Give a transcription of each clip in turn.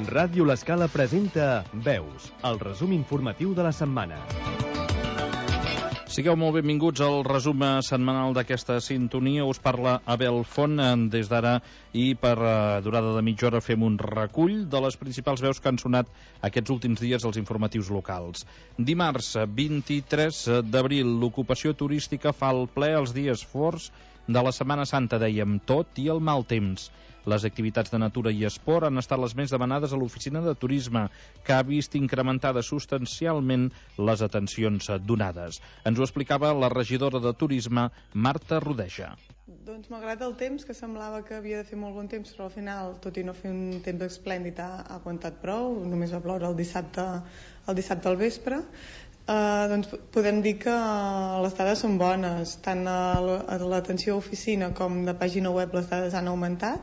Ràdio L'Escala presenta Veus, el resum informatiu de la setmana. Sigueu molt benvinguts al resum setmanal d'aquesta sintonia. Us parla Abel Font des d'ara i per durada de mitja hora fem un recull de les principals veus que han sonat aquests últims dies als informatius locals. Dimarts 23 d'abril, l'ocupació turística fa el ple els dies forts de la Setmana Santa, dèiem, tot i el mal temps. Les activitats de natura i esport han estat les més demanades a l'oficina de turisme, que ha vist incrementades substancialment les atencions donades. Ens ho explicava la regidora de turisme, Marta Rodeja. Doncs malgrat el temps, que semblava que havia de fer molt bon temps, però al final, tot i no fer un temps esplèndid, ha aguantat prou. Només va ploure el dissabte al vespre. Doncs podem dir que les dades són bones, tant a l'atenció a oficina com de pàgina web les dades han augmentat.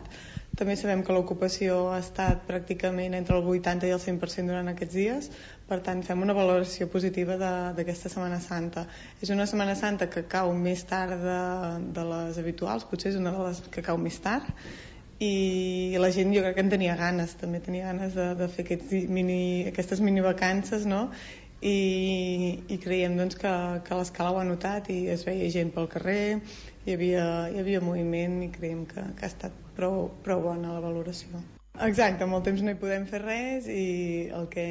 També sabem que l'ocupació ha estat pràcticament entre el 80 i el 100% durant aquests dies, per tant fem una valoració positiva d'aquesta Setmana Santa. És una Setmana Santa que cau més tard de les habituals, potser és una de les que cau més tard, i la gent jo crec que en tenia ganes, també tenia ganes de fer aquestes mini vacances, no? I creiem doncs, que l'Escala ho ha notat i es veia gent pel carrer, hi havia moviment i creiem que ha estat prou bona la valoració. Exacte, amb el temps no hi podem fer res i el que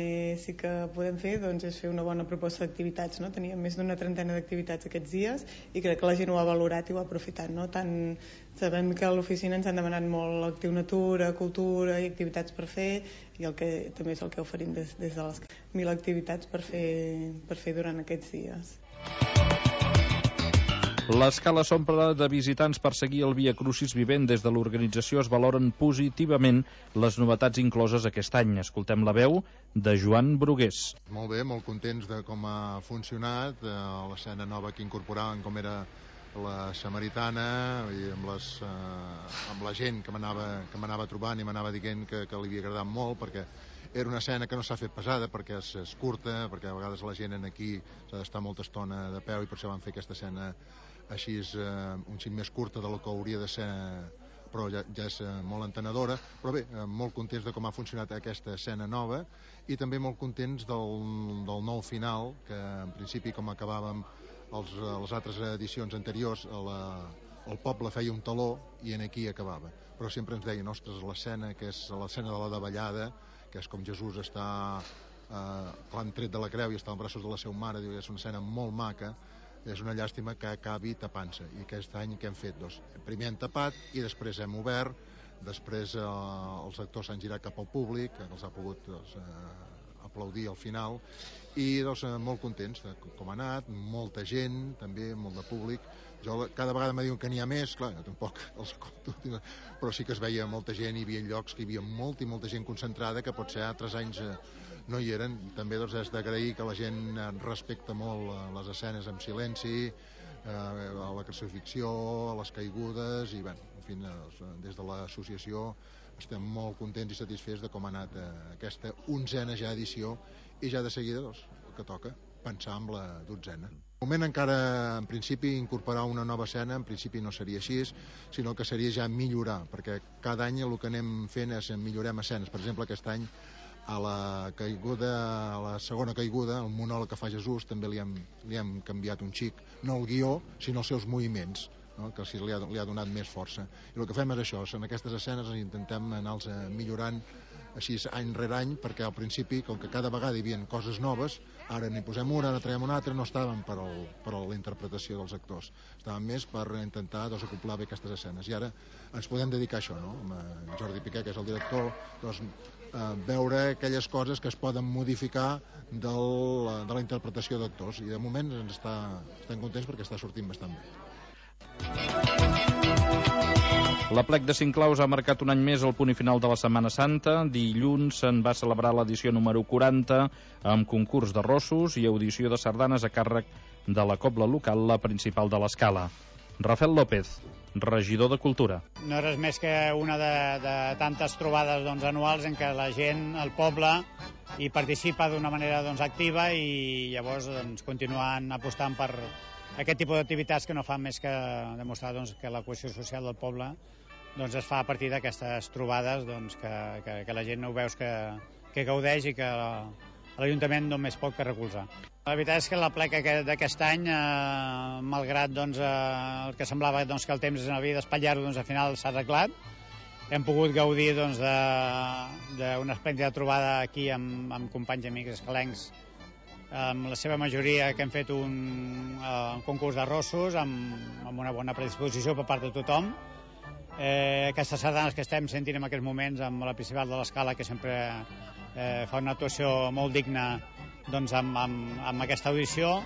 sí que podem fer doncs, és fer una bona proposta d'activitats, no? Teníem més d'una trentena d'activitats aquests dies i crec que la gent ho ha valorat i ho ha aprofitat, no? Tant sabem que a l'oficina ens han demanat molt actiu natura, cultura i activitats per fer, i el que també és el que oferim des de les 1.000 activitats per fer durant aquests dies. L'Escala s'omple de visitants per seguir el Via Crucis vivent. Des de l'organització es valoren positivament les novetats incloses aquest any. Escoltem la veu de Joan Brugués. Molt bé, molt contents de com ha funcionat l'escena nova que incorporaven, com era la Samaritana, i amb la gent que m'anava trobant i m'anava dient que li havia agradat molt, perquè era una escena que no s'ha fet pesada, perquè és curta, perquè a vegades la gent aquí s'ha d'estar molta estona de peu i per això van fer aquesta escena així un xic més curta del que hauria de ser, però ja és molt entenedora. Però bé, molt contents de com ha funcionat aquesta escena nova i també molt contents del nou final, que en principi, com acabàvem les altres edicions anteriors, el poble feia un taló i aquí acabava, però sempre ens deien, ostres, l'escena que és l'escena de la davallada, que és com Jesús està l'han tret de la creu i està als braços de la seva mare, diu, és una escena molt maca, és una llàstima que acabi tapant-se. I aquest any què hem fet? Doncs, primer hem tapat i després hem obert, després els actors s'han girat cap al públic, que els ha pogut aplaudir al final, i molt contents de com ha anat, molta gent també, molt de públic. Cada vegada me diuen que n'hi ha més, clar, jo tampoc els compto, però sí que es veia molta gent, hi havia llocs que hi havia molta gent concentrada, que potser altres anys no hi eren. També és d'agrair que la gent respecta molt les escenes en silenci, a la crucifixió, a les caigudes, i bé, en fi, des de l'associació estem molt contents i satisfets de com ha anat aquesta 11a ja edició, i ja de seguida el que toca, pensar en la 12a. De moment encara, en principi, incorporar una nova escena, en principi no seria així, sinó que seria ja millorar, perquè cada any el que anem fent és millorem escenes. Per exemple, aquest any a la segona caiguda, el monòleg que fa Jesús, també li hem canviat un xic, no el guió, sinó els seus moviments, no? Que li ha donat més força. I el que fem és això, en aquestes escenes intentem anar-los millorant així any rere any, perquè al principi, com que cada vegada hi havia coses noves, ara n'hi posem una, ara traiem una altra, no estaven per a la interpretació dels actors, estaven més per intentar acoplar bé aquestes escenes. I ara ens podem dedicar a això, no? Amb Jordi Piqué, que és el director, veure aquelles coses que es poden modificar de la interpretació d'actors, i de moment estem contents perquè està sortint bastant bé. L'Aplec de Cinclaus ha marcat un any més el punt i final de la Setmana Santa. Dilluns se'n va celebrar l'edició número 40 amb concurs de rossos i audició de sardanes a càrrec de la cobla local, la principal de l'Escala. Rafael López, regidor de Cultura. No és res més que una de tantes trobades anuals en què la gent, el poble, hi participa d'una manera activa, i llavors continuen apostant per aquest tipus d'activitats que no fan més que demostrar que la cohesió social del poble doncs es fa a partir d'aquestes trobades doncs, que la gent ho veus que gaudeix i que l'Ajuntament només pot que recolzar. La veritat és que la plec d'aquest any, malgrat doncs, el que semblava doncs, que el temps havia d'espatllar-ho, doncs, al final s'ha arreglat. Hem pogut gaudir doncs, d'una esplèndida trobada aquí amb companys i amics escalencs, amb la seva majoria que hem fet un concurs d'arrossos amb una bona predisposició per part de tothom. Aquestes sardanes que estem sentint en aquests moments amb la Principal de l'Escala, que sempre fa una actuació molt digna doncs, amb aquesta audició.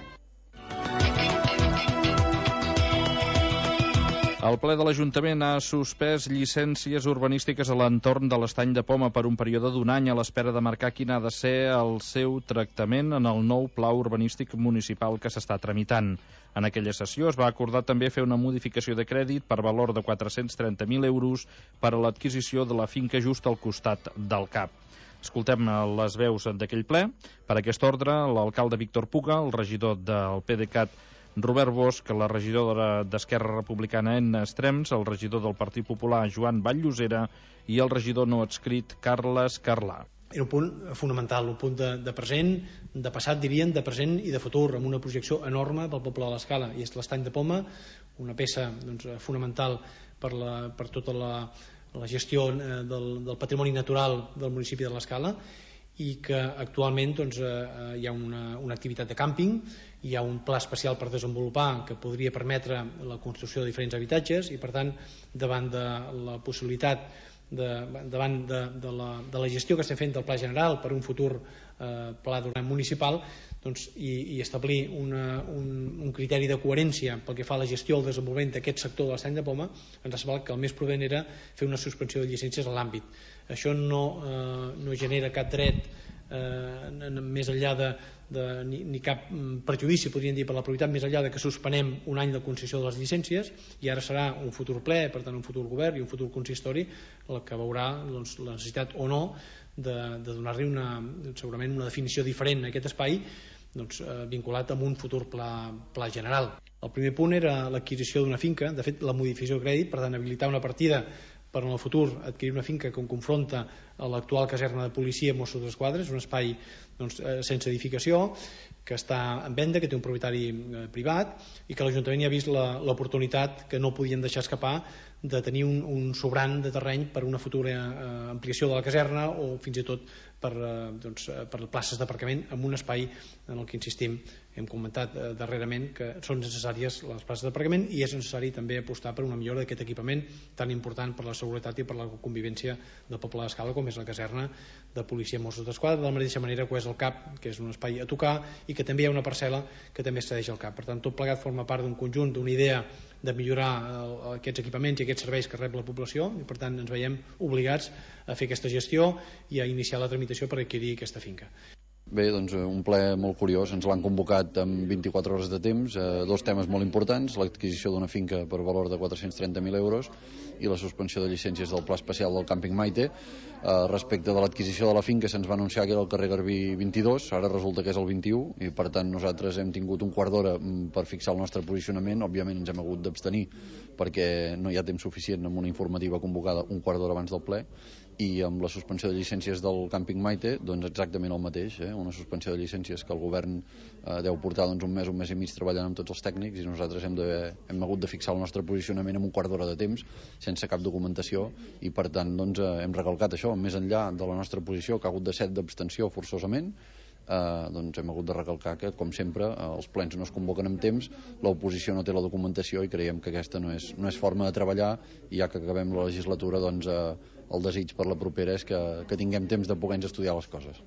El ple de l'Ajuntament ha suspès llicències urbanístiques a l'entorn de l'Estany de Poma per un període d'un any a l'espera de marcar quin ha de ser el seu tractament en el nou pla urbanístic municipal que s'està tramitant. En aquella sessió es va acordar també fer una modificació de crèdit per valor de 430.000 euros per a l'adquisició de la finca just al costat del CAP. Escoltem les veus d'aquell ple. Per aquest ordre, l'alcalde Víctor Puga, el regidor del PDeCAT Robert Bosch, la regidora d'Esquerra Republicana Enna Estrems, el regidor del Partit Popular Joan Vall-Llosera i el regidor no adscrit Carles Carlà. Era un punt fonamental, un punt de present, de passat, dirien, de present i de futur, amb una projecció enorme pel poble de l'Escala. I és l'Estany de Poma, una peça doncs, fonamental per tota la gestió del patrimoni natural del municipi de l'Escala, i que actualment doncs, hi ha una activitat de càmping, hi ha un pla especial per desenvolupar que podria permetre la construcció de diferents habitatges i per tant davant de la possibilitat davant de la gestió que estem fent del pla general per un futur pla municipal doncs, i establir un criteri de coherència pel que fa a la gestió o el desenvolupament d'aquest sector de l'Estany de Poma, ens ha semblat que el més prudent era fer una suspensió de llicències a l'àmbit. Això no genera cap dret més enllà ni cap perjudici, podríem dir, per la propietat, més enllà de que suspenem un any de concessió de les llicències, i ara serà un futur ple, per tant un futur govern i un futur consistori el que veurà doncs, la necessitat o no de donar-li segurament una definició diferent a aquest espai doncs, vinculat amb un futur pla general. El primer punt era l'adquisició d'una finca, de fet la modificació de crèdit, per tant habilitar una partida per en el futur adquirir una finca que confronta a l'actual caserna de policia Mossos d'Esquadra, és un espai doncs, sense edificació, que està en venda, que té un propietari privat i que l'Ajuntament hi ha vist l'oportunitat que no podien deixar escapar de tenir un sobrant de terreny per una futura ampliació de la caserna o fins i tot per places d'aparcament en un espai en el que insistim, hem comentat darrerament que són necessàries les places d'aparcament i és necessari també apostar per una millora d'aquest equipament tan important per la seguretat i per la convivència del poble d'Escala com és la caserna de policia Mossos d'Esquadra, de la mateixa manera que és el CAP, que és un espai a tocar i que també hi ha una parcel·la que també cedeix al CAP. Per tant, tot plegat forma part d'un conjunt, d'una idea de millorar aquests equipaments i aquests serveis que rep la població i per tant ens veiem obligats a fer aquesta gestió i a iniciar la tramitació per adquirir aquesta finca. Bé, doncs un ple molt curiós, ens l'han convocat amb 24 hores de temps, dos temes molt importants, l'adquisició d'una finca per valor de 430.000 euros i la suspensió de llicències del pla especial del càmping Maite. Respecte de l'adquisició de la finca se'ns va anunciar que era el carrer Garbí 22, ara resulta que és el 21 i per tant nosaltres hem tingut un quart d'hora per fixar el nostre posicionament, òbviament ens hem hagut d'abstenir perquè no hi ha temps suficient amb una informativa convocada un quart d'hora abans del ple i amb la suspensió de llicències del càmping Maite doncs exactament el mateix, una suspensió de llicències que el govern deu portar doncs, un mes i mig treballant amb tots els tècnics i nosaltres hem hagut de fixar el nostre posicionament en un quart d'hora de temps sense cap documentació i per tant doncs, hem recalcat això, més enllà de la nostra posició que ha hagut de ser d'abstenció forçosament doncs hem hagut de recalcar que com sempre els plens no es convoquen amb temps, l'oposició no té la documentació i creiem que aquesta no és forma de treballar i ja que acabem la legislatura doncs el desig per la propera és que tinguem temps de poder estudiar les coses.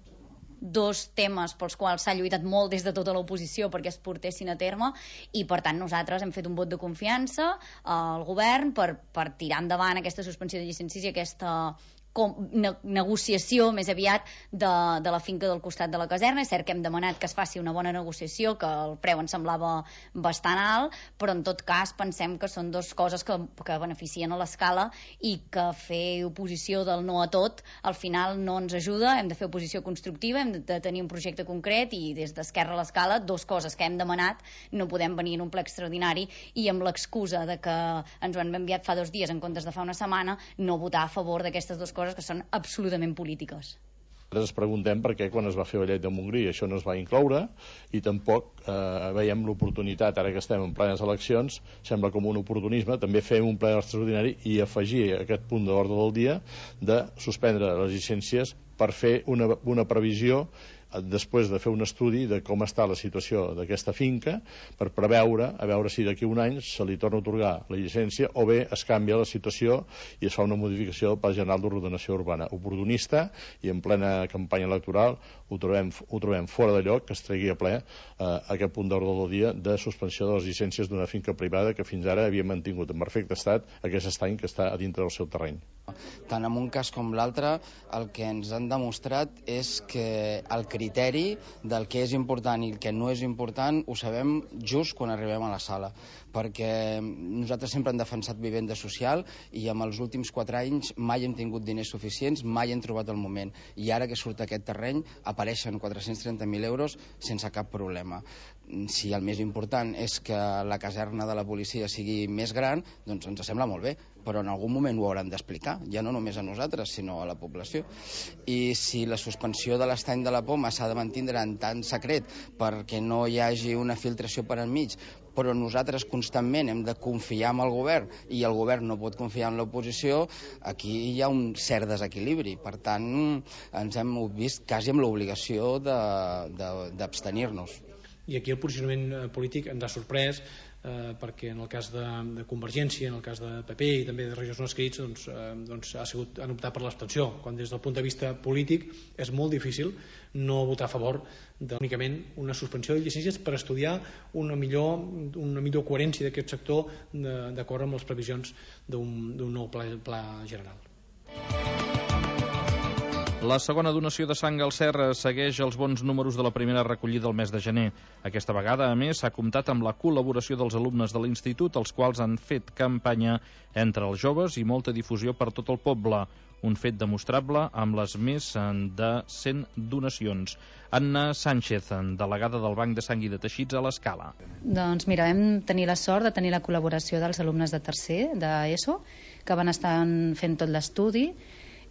Dos temes pels quals s'ha lluitat molt des de tota l'oposició perquè es portessin a terme i per tant nosaltres hem fet un vot de confiança al govern per tirar endavant aquesta suspensió de llicències i aquesta negociació més aviat de la finca del costat de la caserna. És cert que hem demanat que es faci una bona negociació, que el preu ens semblava bastant alt, però en tot cas pensem que són dues coses que beneficien a l'escala i que fer oposició del no a tot al final no ens ajuda. Hem de fer oposició constructiva, hem de tenir un projecte concret, i des d'Esquerra a l'Escala, dues coses que hem demanat, no podem venir en un ple extraordinari i amb l'excusa de que ens ho han enviat fa 2 dies en comptes de fa una setmana, no votar a favor d'aquestes dues coses que són absolutament polítiques. Ens preguntem per què quan es va fer la llei de Montgrí això no es va incloure, i tampoc veiem l'oportunitat, ara que estem en plenes eleccions, sembla com un oportunisme també fer un ple extraordinari i afegir aquest punt d'ordre del dia de suspendre les llicències per fer una previsió després de fer un estudi de com està la situació d'aquesta finca, per preveure a veure si d'aquí un any se li torna a atorgar la llicència o bé es canvia la situació i es fa una modificació del Pla General d'Ordenació Urbana. Oportunista, i en plena campanya electoral ho trobem fora de lloc que es tregui a ple aquest punt d'ordre del dia de suspensió de les llicències d'una finca privada que fins ara havia mantingut en perfecte estat aquest estany que està a dintre del seu terreny. Tant en un cas com l'altre, el que ens han demostrat és que el criteri del que és important i el que no és important ho sabem just quan arribem a la sala, perquè nosaltres sempre hem defensat vivenda social i amb els últims 4 anys mai hem tingut diners suficients, mai hem trobat el moment, i ara que surt aquest terreny apareixen 430.000 euros sense cap problema. Si el més important és que la caserna de la policia sigui més gran, doncs ens sembla molt bé, però en algun moment ho hauran d'explicar, ja no només a nosaltres, sinó a la població. I si la suspensió de l'estany de la Poma s'ha de mantindre en tant secret perquè no hi hagi una filtració per enmig, però nosaltres constantment hem de confiar en el govern i el govern no pot confiar en l'oposició, aquí hi ha un cert desequilibri. Per tant, ens hem vist quasi amb l'obligació d'abstenir-nos. I aquí el posicionament polític ens ha sorprès, perquè en el cas de Convergència, en el cas de PP i també de regidors no escrits, han optat per l'abstenció, quan des del punt de vista polític és molt difícil no votar a favor únicament una suspensió de llicències per estudiar una millor coherència d'aquest sector d'acord amb les previsions d'un nou pla general. La segona donació de sang al Serra segueix els bons números de la primera recollida del mes de gener. Aquesta vegada, a més, s'ha comptat amb la col·laboració dels alumnes de l'Institut, els quals han fet campanya entre els joves i molta difusió per tot el poble. Un fet demostrable amb les més de 100 donacions. Anna Sánchez, delegada del Banc de Sang i de Teixits a l'Escala. Doncs mira, vam tenir la sort de tenir la col·laboració dels alumnes de tercer d'ESO, que van estar fent tot l'estudi,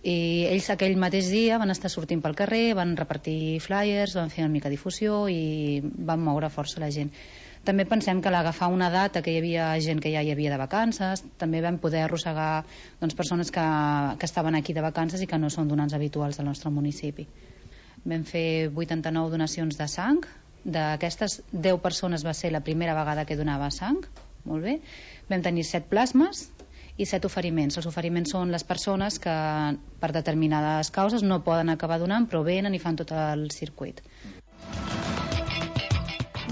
i ells aquell mateix dia van estar sortint pel carrer, van repartir flyers, van fer una mica difusió i van moure força la gent. També pensem que a l'agafar una data que hi havia gent que ja hi havia de vacances, també vam poder arrossegar persones que estaven aquí de vacances i que no són donants habituals del nostre municipi. Vam fer 89 donacions de sang. D'aquestes, 10 persones va ser la primera vegada que donava sang. Molt bé. Vam tenir 7 plasmes i 7 oferiments. Els oferiments són les persones que per determinades causes no poden acabar donant, però venen i fan tot el circuit.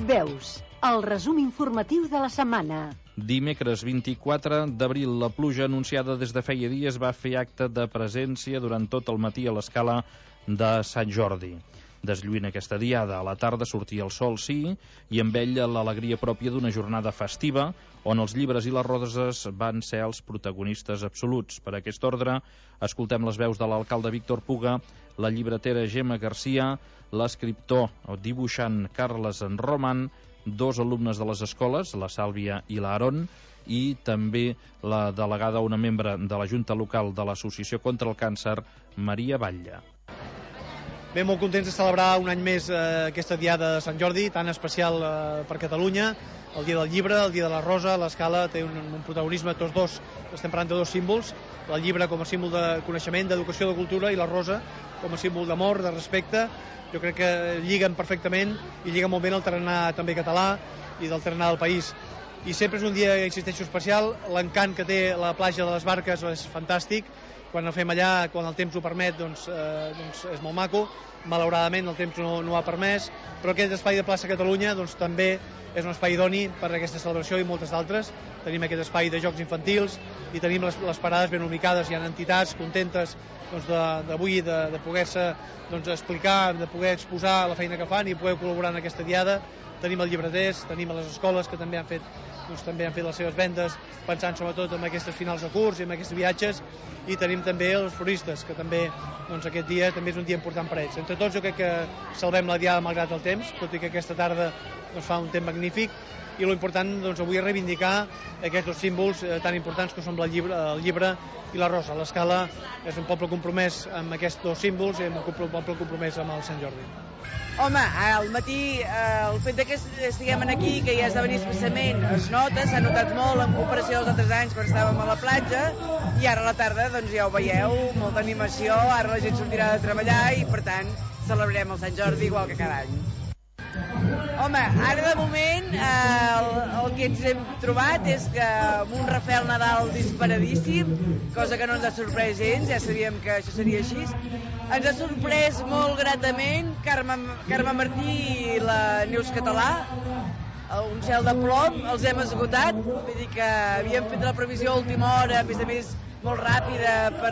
Veus, el resum informatiu de la setmana. Dimecres 24 d'abril, la pluja anunciada des de feia dies va fer acte de presència durant tot el matí a l'Escala de Sant Jordi. Deslluint aquesta diada, a la tarda sortia el sol, sí, i amb ell l'alegria pròpia d'una jornada festiva, on els llibres i les roses van ser els protagonistes absoluts. Per aquest ordre, escoltem les veus de l'alcalde Víctor Puga, la llibretera Gemma Garcia, l'escriptor o dibuixant Carles Roman, 2 alumnes de les escoles, la Sàlvia i l'Aaron, i també la delegada, una membre de la Junta Local de l'Associació contra el Càncer, Maria Batlle. Bé, molt contents de celebrar un any més aquesta diada de Sant Jordi, tan especial per Catalunya, el dia del llibre, el dia de la rosa. L'Escala té un protagonisme, tots dos, estem parlant de 2 símbols, el llibre com a símbol de coneixement, d'educació, de cultura, i la rosa com a símbol d'amor, de respecte. Jo crec que lliguen perfectament i lliguen molt bé el tarannà també català i del tarannà del país. I sempre és un dia, insisteixo, especial. L'encant que té la platja de les Barques és fantàstic. Quan el fem allà, quan el temps ho permet, doncs és molt maco. malauradament el temps no ho ha permès, però aquest espai de plaça Catalunya doncs, també és un espai idoni per a aquesta celebració i moltes d'altres. Tenim aquest espai de jocs infantils i tenim les parades ben ubicades, hi ha entitats contentes d'avui de poder-se explicar, de poder exposar la feina que fan i poder col·laborar en aquesta diada. Tenim els llibreters, tenim les escoles que també han fet les seves vendes, pensant sobretot en aquestes finals de curs i en aquests viatges, i tenim també els floristes, que també aquest dia també és un dia important per ells. Entre tots jo crec que salvem la diada malgrat el temps, tot i que aquesta tarda fa un temps magnífic, i l'important avui és reivindicar aquests dos símbols tan importants que són el llibre i la rosa. L'Escala és un poble compromès amb aquests dos símbols i un poble compromès amb el Sant Jordi. Home, al matí el fet que estiguem aquí, que ja esdevenir especialment, es nota, s'ha notat molt en comparació als altres anys quan estàvem a la platja, i ara a la tarda ja ho veieu, molta animació, ara la gent sortirà de treballar i per tant celebrarem el Sant Jordi igual que cada any. Home, ara de moment el que ens hem trobat és que amb un Rafael Nadal disparadíssim, cosa que no ens ha sorprès gens, ja sabíem que això seria així. Ens ha sorprès molt gratament Carme Martí i la Neus Català, un cel de plom, els hem esgotat, vull dir que havíem fet la previsió a última hora, a més molt ràpida per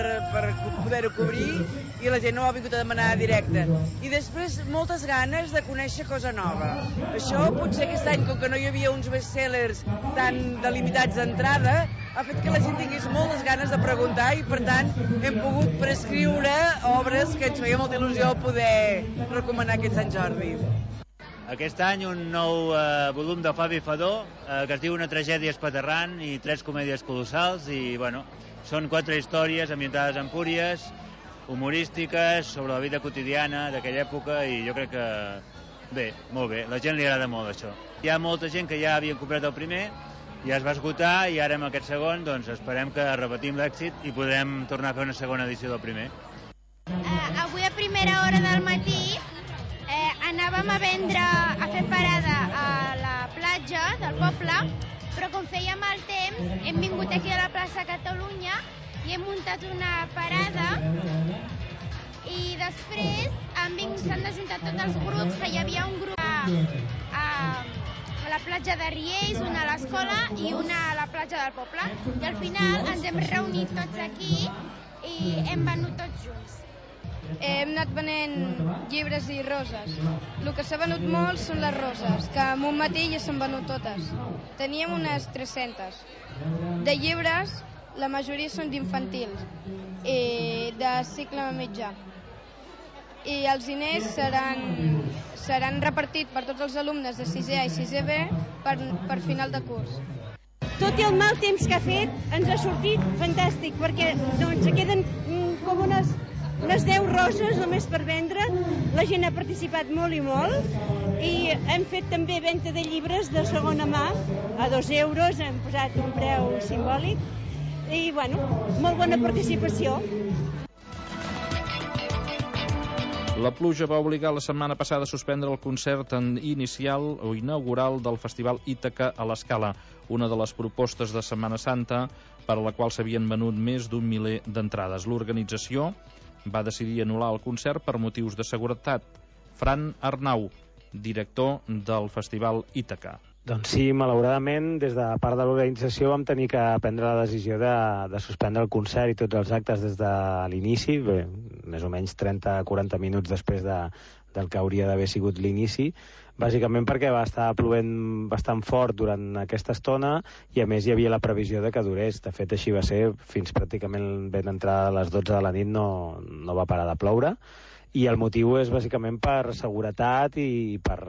poder-ho cobrir, i la gent no ho ha vingut a demanar directe. I després moltes ganes de conèixer cosa nova. Això potser aquest any, com que no hi havia uns bestsellers tan delimitats d'entrada, ha fet que la gent tingués moltes ganes de preguntar i per tant hem pogut prescriure obres que ens feia molta il·lusió poder recomanar aquest Sant Jordi. Aquest any un nou volum de Fabi Fadó, que es diu Una tragèdia espaterrant i 3 comèdies colossals, i bueno, són 4 històries ambientades a Empúries, humorístiques, sobre la vida quotidiana d'aquella època, i jo crec que bé, molt bé, la gent li agrada molt això. Hi ha molta gent que ja havia comprat el primer, ja es va esgotar, i ara amb aquest segon doncs esperem que repetim l'èxit i podrem tornar a fer una segona edició del primer. Avui a primera hora del matí anàvem a fer parada a la platja del poble, però com feia mal temps hem vingut aquí a la plaça Catalunya i hem muntat una parada, i després s'han desjuntat tots els grups, que hi havia un grup a la platja de Riells, una a l'escola i una a la platja del poble, i al final ens hem reunit tots aquí i hem venut tots junts. Hem anat venent llibres i roses. El que s'ha venut molt són les roses, que en un matí ja s'han venut totes. Teníem unes 300. De llibres, la majoria són d'infantils, de cicle mitjà. I els diners seran repartits per tots els alumnes de 6è i 6è B per final de curs. Tot i el mal temps que ha fet, ens ha sortit fantàstic, perquè queden com unes 10 roses només per vendre. La gent ha participat molt i molt, i hem fet també venda de llibres de segona mà a 2 euros, hem posat un preu simbòlic, i bueno, molt bona participació. La pluja va obligar la setmana passada a suspendre el concert inicial o inaugural del Festival Ítaca a l'Escala, una de les propostes de Setmana Santa per a la qual s'havien venut més d'un miler d'entrades. L'organització va decidir anul·lar el concert per motius de seguretat. Fran Arnau, director del Festival Ítaca. Doncs sí, malauradament, des de part de l'organització vam tenir que prendre la decisió de suspendre el concert i tots els actes des de l'inici, més o menys 30-40 minuts després del que hauria d'haver sigut l'inici, bàsicament perquè va estar plovent bastant fort durant aquesta estona i a més hi havia la previsió de que durés. De fet, així va ser, fins pràcticament ben entrar a les 12 de la nit no va parar de ploure, i el motiu és bàsicament per seguretat i per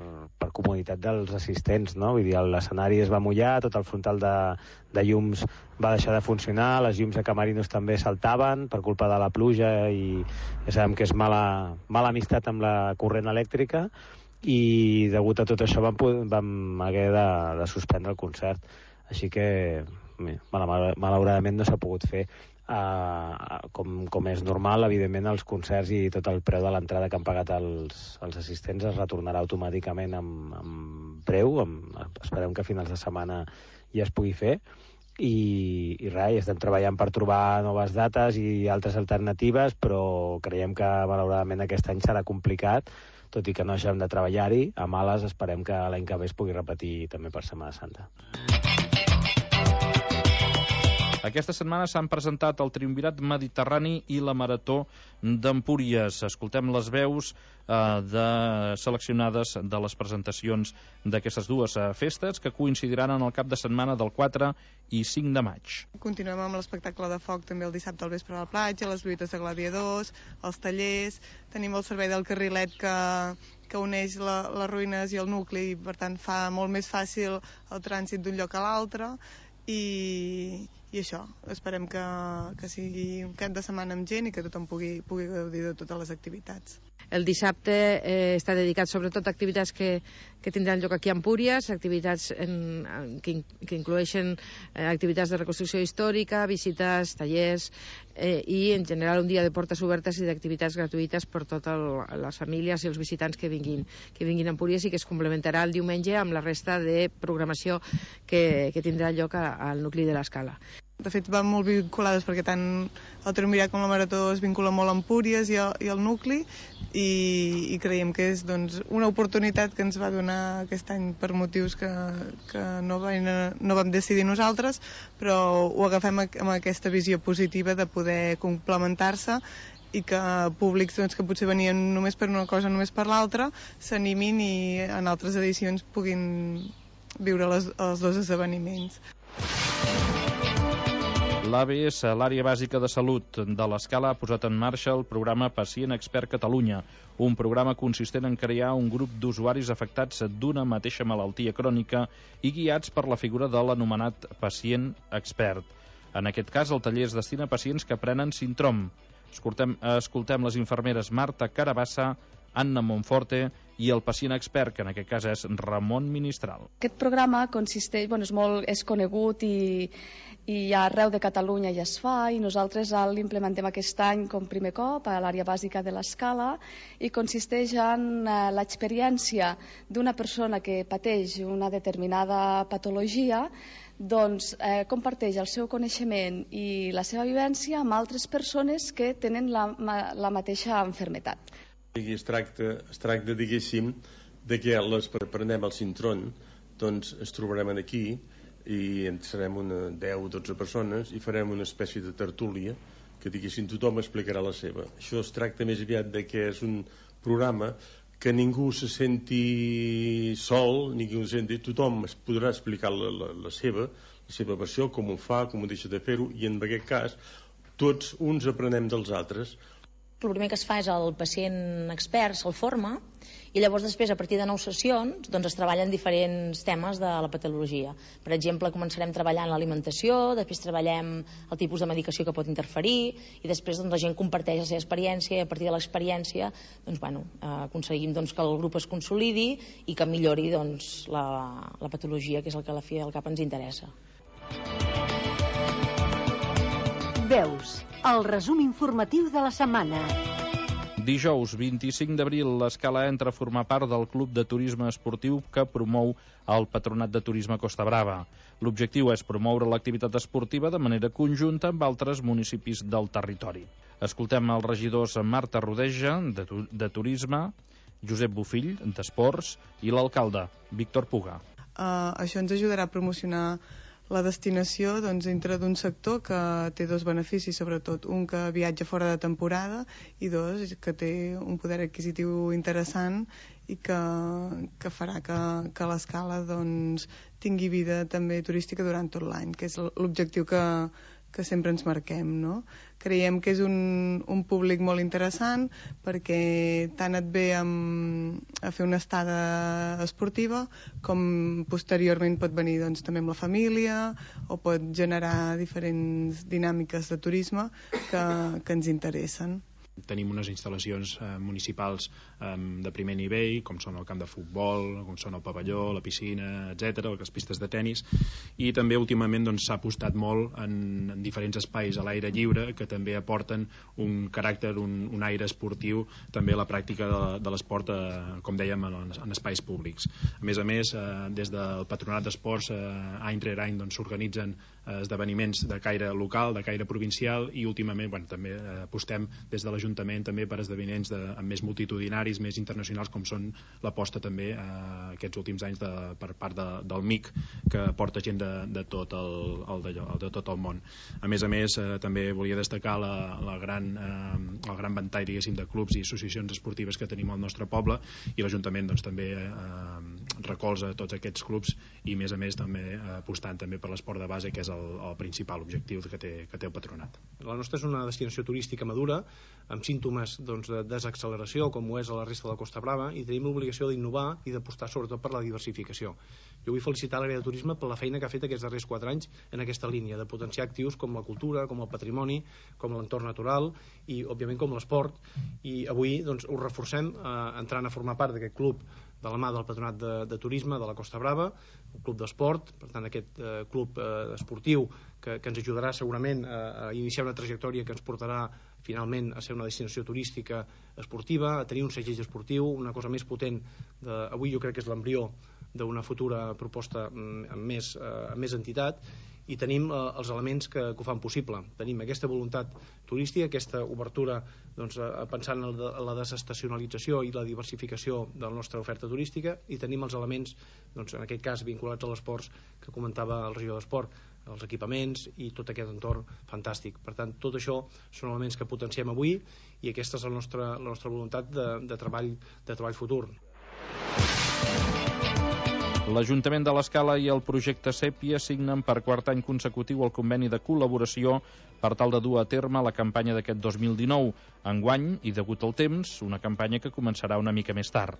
comoditat dels assistents, no? Vull dir, l'escenari es va mullar, tot el frontal de llums va deixar de funcionar, les llums de camerinos també saltaven per culpa de la pluja i ja sabem que és mala amistat amb la corrent elèctrica, i degut a tot això vam haver de suspendre el concert. Així que malauradament no s'ha pogut fer. Com és normal, evidentment els concerts i tot el preu de l'entrada que han pagat els assistents es retornarà automàticament amb preu. Esperem que a finals de setmana ja es pugui fer, i res, estem treballant per trobar noves dates i altres alternatives, però creiem que malauradament aquest any serà complicat, tot i que no deixem de treballar-hi. A males esperem que l'any que ve es pugui repetir també per Setmana Santa. Aquesta setmana s'han presentat el Triumvirat Mediterrani i la Marató d'Empúries. Escoltem les veus seleccionades de les presentacions d'aquestes dues festes que coincidiran en el cap de setmana del 4 i 5 de maig. Continuem amb l'espectacle de foc també el dissabte al vespre a la platja, les lluites de gladiadors, els tallers, tenim el servei del carrilet que uneix les ruïnes i el nucli i per tant fa molt més fàcil el trànsit d'un lloc a l'altre i això, esperem que sigui un cap de setmana amb gent i que tothom pugui gaudir de totes les activitats. El dissabte està dedicat sobretot a activitats que tindran lloc aquí a Empúries, activitats que incloeixen activitats de reconstrucció històrica, visites, tallers i en general un dia de portes obertes i d'activitats gratuïtes per totes les famílies i els visitants que vinguin a Empúries i que es complementarà el diumenge amb la resta de programació que tindrà lloc al nucli de l'Escala. De fet, van molt vinculades perquè tant el Triumvirat com la Marató es vincula molt a Empúries i al nucli i creiem que és una oportunitat que ens va donar aquest any per motius que no vam decidir nosaltres, però ho agafem amb aquesta visió positiva de poder complementar-se i que públics que potser venien només per una cosa, només per l'altra, s'animin i en altres edicions puguin viure els dos esdeveniments. L'ABS, l'Àrea Bàsica de Salut de l'Escala, ha posat en marxa el programa Pacient Expert Catalunya, un programa consistent en crear un grup d'usuaris afectats d'una mateixa malaltia crònica i guiats per la figura de l'anomenat pacient expert. En aquest cas, el taller es destina a pacients que prenen Sintrom. Escoltem les infermeres Marta Carabassa, Anna Monforte i el pacient expert, que en aquest cas és Ramon Ministral. Aquest programa consisteix, és conegut i arreu de Catalunya ja es fa i nosaltres l'implementem aquest any com primer cop a l'àrea bàsica de l'Escala i consisteix en l'experiència d'una persona que pateix una determinada patologia, comparteix el seu coneixement i la seva vivència amb altres persones que tenen la mateixa malaltia. Es tracta, diguéssim, de que prenem el Sintrom, doncs es trobarem aquí i serem una 10 o 12 persones i farem una espècie de tertúlia que, diguéssim, tothom explicarà la seva. Això es tracta més aviat de que és un programa que ningú se senti sol, tothom es podrà explicar la seva versió, com ho fa, com ho deixa de fer-ho, i en aquest cas tots uns aprenem dels altres. El primer que es fa és el pacient expert, se'l forma, i llavors després, a partir de 9 sessions, es treballen diferents temes de la patologia. Per exemple, començarem treballant l'alimentació, després treballem el tipus de medicació que pot interferir, i després la gent comparteix la seva experiència, i a partir de l'experiència aconseguim que el grup es consolidi i que millori la patologia, que és el que a la fi del cap ens interessa. Veus, el resum informatiu de la setmana. Dijous 25 d'abril, l'Escala entra a formar part del Club de Turisme Esportiu que promou el Patronat de Turisme Costa Brava. L'objectiu és promoure l'activitat esportiva de manera conjunta amb altres municipis del territori. Escoltem els regidors Marta Rodeja, de Turisme, Josep Bofill, d'Esports, i l'alcalde, Víctor Puga. Això ens ajudarà a promocionar la destinació dintre d'un sector que té dos beneficis, sobretot un que viatja fora de temporada i dos que té un poder adquisitiu interessant i que farà que l'Escala tingui vida també turística durant tot l'any, que és l'objectiu que sempre ens marquem, no? Creiem que és un públic molt interessant perquè tant et ve a fer una estada esportiva com posteriorment pot venir també amb la família o pot generar diferents dinàmiques de turisme que ens interessen. Tenim unes instal·lacions municipals de primer nivell, com són el camp de futbol, com són el pavelló, la piscina, etc., les pistes de tennis, i també últimament s'ha apostat molt en diferents espais a l'aire lliure que també aporten un caràcter, un aire esportiu també a la pràctica de l'esport, com dèiem, en espais públics. A més, des del Patronat d'Esports, any rere any s'organitzen esdeveniments de caire local, de caire provincial, i últimament també apostem des de l'Ajuntament també per esdeveniments més multitudinaris, més internacionals, com són l'aposta també aquests últims anys per part del MIC, que porta gent de tot el món. A més, també volia destacar el gran ventall, diguéssim, de clubs i associacions esportives que tenim al nostre poble, i l'Ajuntament també recolza tots aquests clubs, i a més també apostant també per l'esport de base, que és el principal objectiu que té el Patronat. La nostra és una destinació turística madura, amb símptomes de desacceleració, com ho és a la resta de la Costa Brava, i tenim l'obligació d'innovar i d'apostar sobretot per la diversificació. Jo vull felicitar l'àrea de turisme per la feina que ha fet aquests darrers 4 anys en aquesta línia, de potenciar actius com la cultura, com el patrimoni, com l'entorn natural i, òbviament, com l'esport. I avui ho reforcem entrant a formar part d'aquest club de la mà del Patronat de Turisme de la Costa Brava, un club d'esport, per tant aquest club esportiu que ens ajudarà segurament a iniciar una trajectòria que ens portarà finalment a ser una destinació turística esportiva, a tenir un segell esportiu, una cosa més potent. Avui jo crec que és l'embrió d'una futura proposta amb més entitat, i tenim els elements que ho fan possible. Tenim aquesta voluntat turística, aquesta obertura pensant en la desestacionalització i la diversificació de la nostra oferta turística, i tenim els elements, en aquest cas vinculats a l'esport, que comentava el regidor d'Esport, els equipaments i tot aquest entorn fantàstic. Per tant, tot això són elements que potenciem avui, i aquesta és la nostra voluntat de treball futur. L'Ajuntament de l'Escala i el projecte Sèpia signen per 4 any consecutiu el conveni de col·laboració per tal de dur a terme la campanya d'aquest 2019. Enguany, i degut al temps, una campanya que començarà una mica més tard.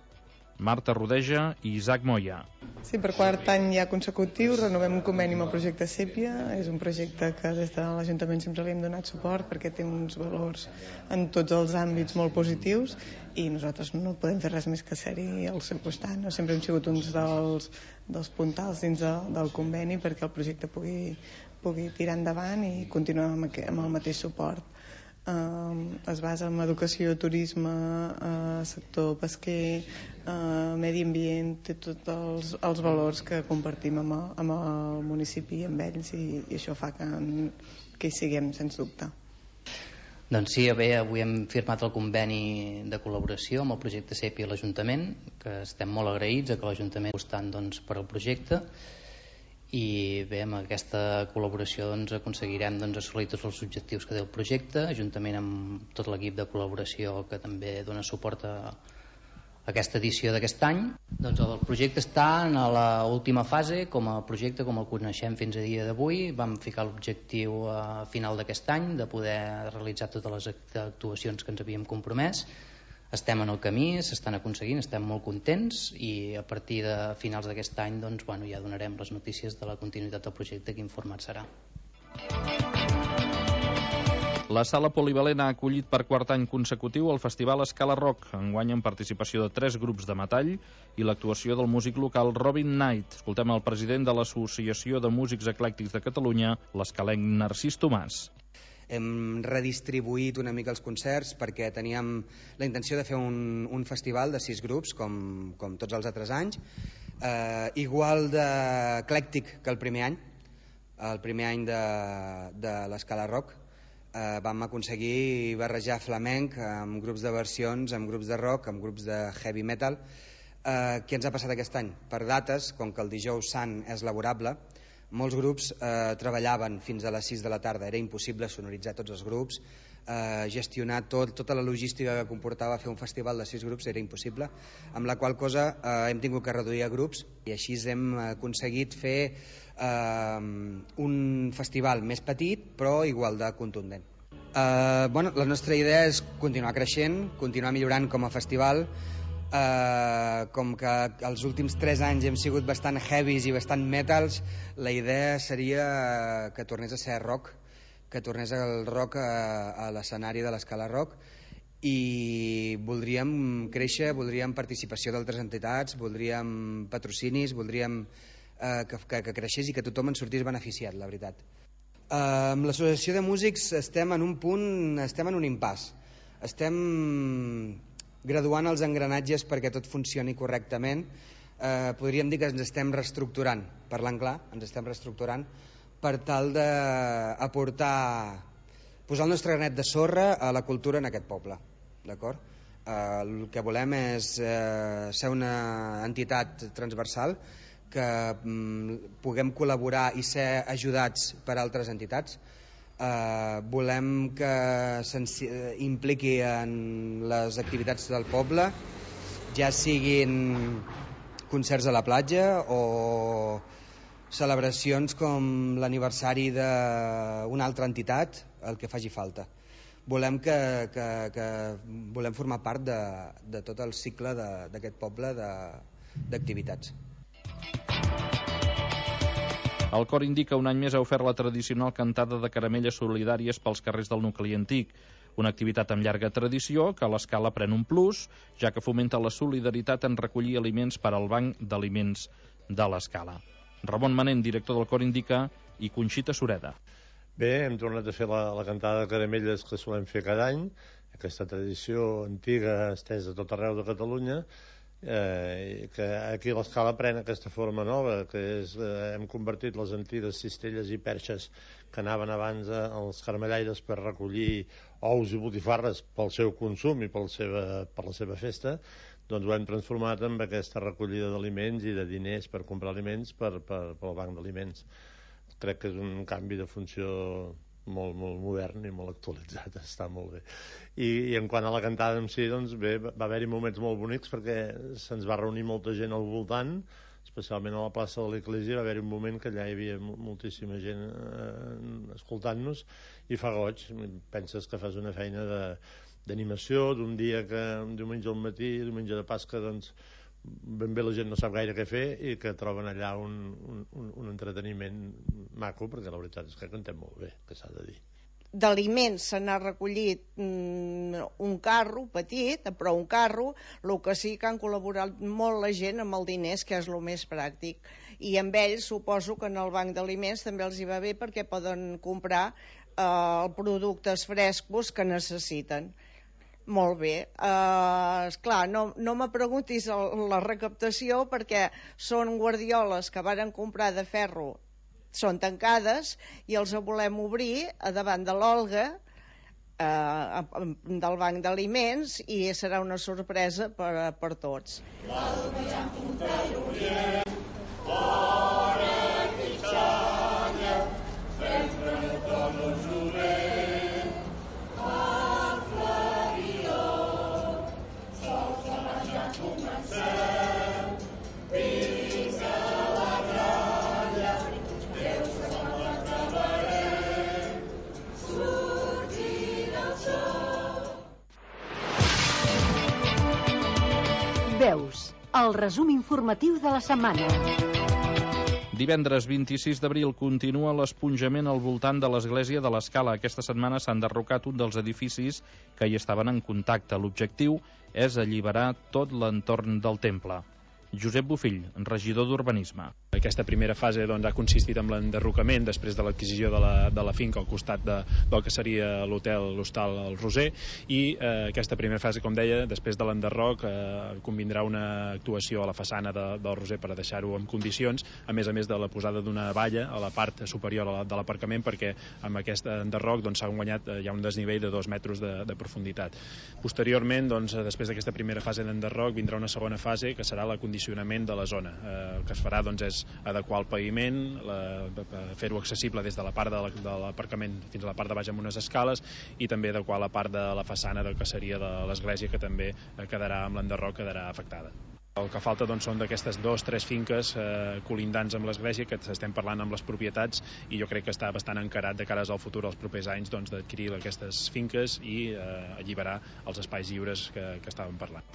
Marta Rodeja i Isaac Moya. Sí, per 4 any ja consecutiu renovem un conveni amb el projecte Sèpia. És un projecte que des de l'Ajuntament sempre li hem donat suport perquè té uns valors en tots els àmbits molt positius, i nosaltres no podem fer res més que ser-hi al seu costat. Sempre hem sigut uns dels puntals dins del conveni perquè el projecte pugui tirar endavant i continuar amb el mateix suport. Es basa en educació, turisme, sector pesquer, medi ambient, té tots els valors que compartim amb el municipi i amb ells, i això fa que hi siguem, sens dubte. Doncs sí, avui hem firmat el conveni de col·laboració amb el projecte Sèpia i l'Ajuntament, que estem molt agraïts que l'Ajuntament estan per al projecte, i bé, amb aquesta col·laboració aconseguirem assolir tots els objectius que té el projecte, juntament amb tot l'equip de col·laboració que també dona suport a aquesta edició d'aquest any. El projecte està en l'última fase com a projecte, com el coneixem fins a dia d'avui. Vam ficar l'objectiu a final d'aquest any de poder realitzar totes les actuacions que ens havíem compromès. Estem en el camí, s'estan aconseguint, estem molt contents, i a partir de finals d'aquest any ja donarem les notícies de la continuïtat del projecte, quin format serà. La Sala Polivalent ha acollit per 4 any consecutiu el Festival Escala Rock, enguany amb participació de 3 grups de metall i l'actuació del músic local Robin Knight. Escoltem el president de l'Associació de Músics Eclèctics de Catalunya, l'escalenc Narcís Tomàs. Hem redistribuït una mica els concerts perquè teníem la intenció de fer un festival de 6 grups, com tots els altres anys, igual d'eclèctic que el primer any de l'Escala Rock. Vam aconseguir barrejar flamenc amb grups de versions, amb grups de rock, amb grups de heavy metal. Què ens ha passat aquest any? Per dates, com que el dijous sant és laborable, molts grups treballaven fins a les 6 de la tarda, era impossible sonoritzar tots els grups, gestionar tota la logística que comportava fer un festival de 6 grups era impossible, amb la qual cosa hem tingut que reduir a grups, i així hem aconseguit fer un festival més petit però igual de contundent. La nostra idea és continuar creixent, continuar millorant com a festival. Com que els últims 3 anys hem sigut bastant heavies i bastant metals, la idea seria que tornés a ser rock, que tornés el rock a l'escenari de l'Escala Rock, i voldríem créixer, voldríem participació d'altres entitats, voldríem patrocinis, voldríem que creixés i que tothom en sortís beneficiat, la veritat. Amb l'associació de músics estem en un punt, estem en un impàs. Estem graduant els engranatges perquè tot funcioni correctament. Podríem dir que ens estem reestructurant, parlant clar, ens estem reestructurant per tal d'aportar, posar el nostre granet de sorra a la cultura en aquest poble, d'acord? El que volem és ser una entitat transversal, que puguem col·laborar i ser ajudats per altres entitats. Volem que s'impliqui en les activitats del poble, ja siguin concerts a la platja o celebracions com l'aniversari d'una altra entitat, el que faci falta. Volem volem formar part de tot el cicle d'aquest poble d'activitats. El cor Indica un any més ha ofert la tradicional cantada de caramelles solidàries pels carrers del nucli antic, una activitat amb llarga tradició que a l'Escala pren un plus, ja que fomenta la solidaritat en recollir aliments per al Banc d'Aliments de l'Escala. Ramon Manent, director del cor Indica, i Conxita Sureda. Bé, hem tornat a fer la cantada de caramelles que solem fer cada any, aquesta tradició antiga estesa a tot arreu de Catalunya, que aquí a l'Escala pren aquesta forma nova, que és hem convertit les antigues cistelles i perxes que anaven abans als carmellaires per recollir ous i botifarres pel seu consum i per la seva festa, doncs ho hem transformat en aquesta recollida d'aliments i de diners per comprar aliments pel Banc d'Aliments. Crec que és un canvi de funció molt modern i molt actualitzat, està molt bé. I en quant a la cantada en si, doncs bé, va haver-hi moments molt bonics perquè se'ns va reunir molta gent al voltant, especialment a la plaça de l'Església. Va haver-hi un moment que allà hi havia moltíssima gent escoltant-nos i fa goig. Penses que fas una feina d'animació d'un dia que un diumenge al matí, diumenge de Pasca, doncs ben bé la gent no sap gaire què fer i que troben allà un entreteniment maco, perquè la veritat és que cantem molt bé, que s'ha de dir. D'aliments se n'ha recollit un carro petit, però un carro, el que sí que han col·laborat molt la gent amb els diners, que és el més pràctic, i amb ells suposo que en el Banc d'Aliments també els hi va bé perquè poden comprar productes frescos que necessiten. Molt bé. Esclar, no me preguntis la recaptació perquè són guardioles que varen comprar de ferro, són tancades i els volem obrir a davant de l'Olga del Banc d'Aliments i serà una sorpresa per tots. Veus, el resum informatiu de la setmana. Divendres 26 d'abril continua l'esponjament al voltant de l'església de l'Escala. Aquesta setmana s'ha enderrocat un dels edificis que hi estaven en contacte. L'objectiu és alliberar tot l'entorn del temple. Josep Bofill, regidor d'Urbanisme. Aquesta primera fase ha consistit en l'enderrocament després de l'adquisició de la finca al costat del que seria l'hostal El Roser, i aquesta primera fase, com deia, després de l'enderroc convindrà una actuació a la façana del Roser per deixar-ho en condicions, a més de la posada d'una valla a la part superior de l'aparcament, perquè amb aquest enderroc s'ha guanyat ja un desnivell de 2 metres de profunditat. Posteriorment, després d'aquesta primera fase d'enderroc, vindrà una segona fase que serà la condicionament de la zona. El que es farà és adequar el paviment, fer-ho accessible des de la part de l'aparcament fins a la part de baix amb unes escales, i també adequar la part de la façana del que seria de l'església, que també quedarà amb l'enderroc, quedarà afectada. El que falta són d'aquestes 2-3 finques colindants amb l'església, que estem parlant amb les propietats, i jo crec que està bastant encarat de cares al futur, als propers anys, d'adquirir aquestes finques i alliberar els espais lliures que estàvem parlant.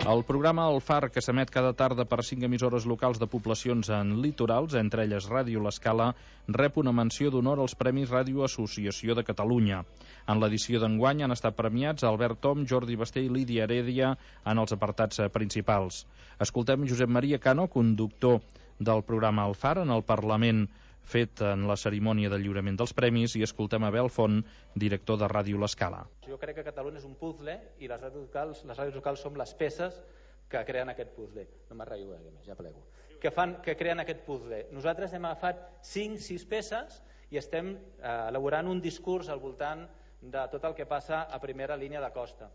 El programa El Far, que s'emet cada tarda per 5 emissores locals de poblacions en litorals, entre elles Ràdio L'Escala, rep una menció d'honor als Premis Ràdio Associació de Catalunya. En l'edició d'enguany han estat premiats Albert Tom, Jordi Basté i Lídia Heredia en els apartats principals. Escoltem Josep Maria Cano, conductor del programa El Far, en el Parlament fet en la cerimònia de lliurament dels premis, i escoltem Abel Font, director de Ràdio L'Escala. Jo crec que Catalunya és un puzzle i les ràdios locals som les peces que creen aquest puzzle. No m'arraio gaire més, ja plego. Que creen aquest puzzle. Nosaltres hem agafat 5-6 peces i estem elaborant un discurs al voltant de tot el que passa a primera línia de costa.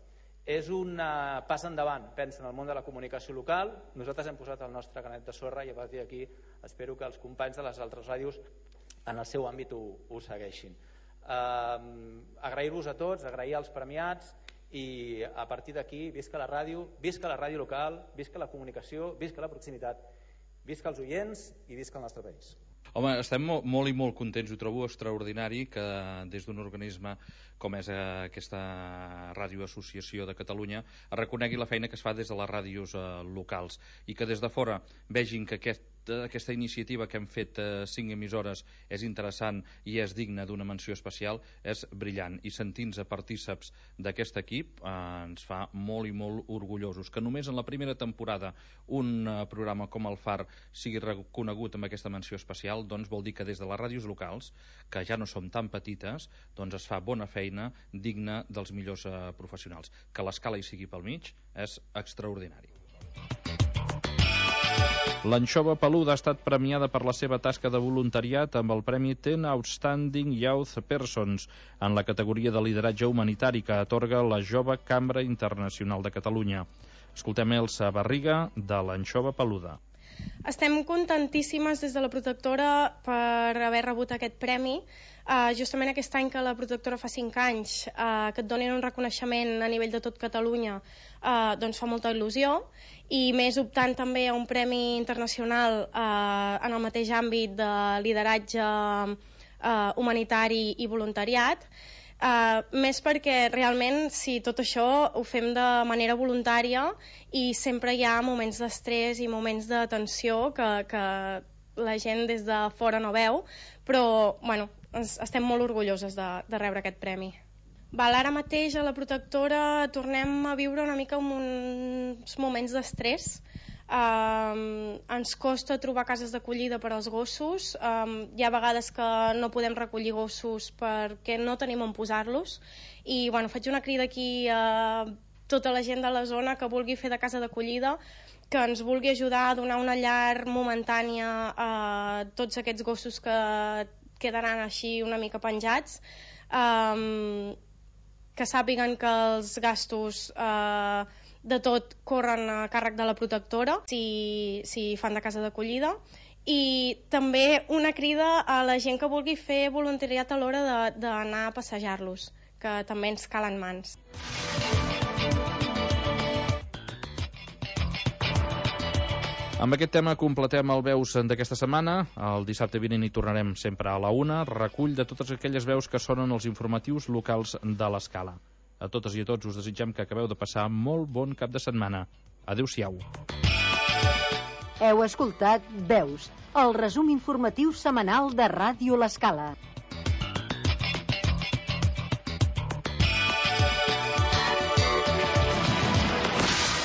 És un pas endavant, pensa, en el món de la comunicació local. Nosaltres hem posat el nostre granet de sorra i a partir d'aquí espero que els companys de les altres ràdios en el seu àmbit ho segueixin. Agrair-vos a tots, agrair als premiats i a partir d'aquí visca la ràdio local, visca la comunicació, visca la proximitat, visca els oients i visca el nostre país. Home, estem molt i molt contents, ho trobo extraordinari que des d'un organisme com és aquesta Ràdio Associació de Catalunya es reconegui la feina que es fa des de les ràdios locals i que des de fora vegin que aquesta iniciativa que hem fet 5 emissores és interessant i és digna d'una menció especial, és brillant, i sentir-nos partíceps d'aquest equip ens fa molt i molt orgullosos. Que només en la primera temporada un programa com el Far sigui reconegut amb aquesta menció especial, doncs vol dir que des de les ràdios locals, que ja no som tan petites, doncs es fa bona feina digna dels millors professionals. Que l'escala hi sigui pel mig és extraordinari. L'anxova peluda ha estat premiada per la seva tasca de voluntariat amb el Premi 10 Outstanding Youth Persons en la categoria de lideratge humanitari que atorga la Jove Cambra Internacional de Catalunya. Escoltem Elsa Barriga, de l'anxova peluda. Estem contentíssimes des de la protectora per haver rebut aquest premi. Justament aquest any que la protectora fa 5 anys que et donin un reconeixement a nivell de tot Catalunya doncs fa molta il·lusió, i més optant també a un premi internacional en el mateix àmbit de lideratge humanitari i voluntariat. Més perquè realment si tot això ho fem de manera voluntària i sempre hi ha moments d'estrès i moments de tensió que la gent des de fora no veu, però bueno, estem molt orgulloses de rebre aquest premi. Ara mateix a la protectora tornem a viure una mica uns moments d'estrès. Ens costa trobar cases d'acollida per als gossos. Hi ha vegades que no podem recollir gossos perquè no tenim on posar-los, i bueno, faig una crida aquí a tota la gent de la zona que vulgui fer de casa d'acollida, que ens vulgui ajudar a donar una llar momentània a tots aquests gossos que quedaran així una mica penjats, que sàpiguen que els gastos de tot corren a càrrec de la protectora si fan de casa d'acollida, i també una crida a la gent que vulgui fer voluntariat a l'hora d'anar a passejar-los, que també ens calen mans. Amb aquest tema completem el Veus d'aquesta setmana. El dissabte vinent hi tornarem sempre a la 1, recull de totes aquelles veus que sonen els informatius locals de l'Escala. A totes i a tots us desitgem que acabeu de passar molt bon cap de setmana. Adéu-siau. Heu escoltat Veus, el resum informatiu setmanal de Ràdio L'Escala.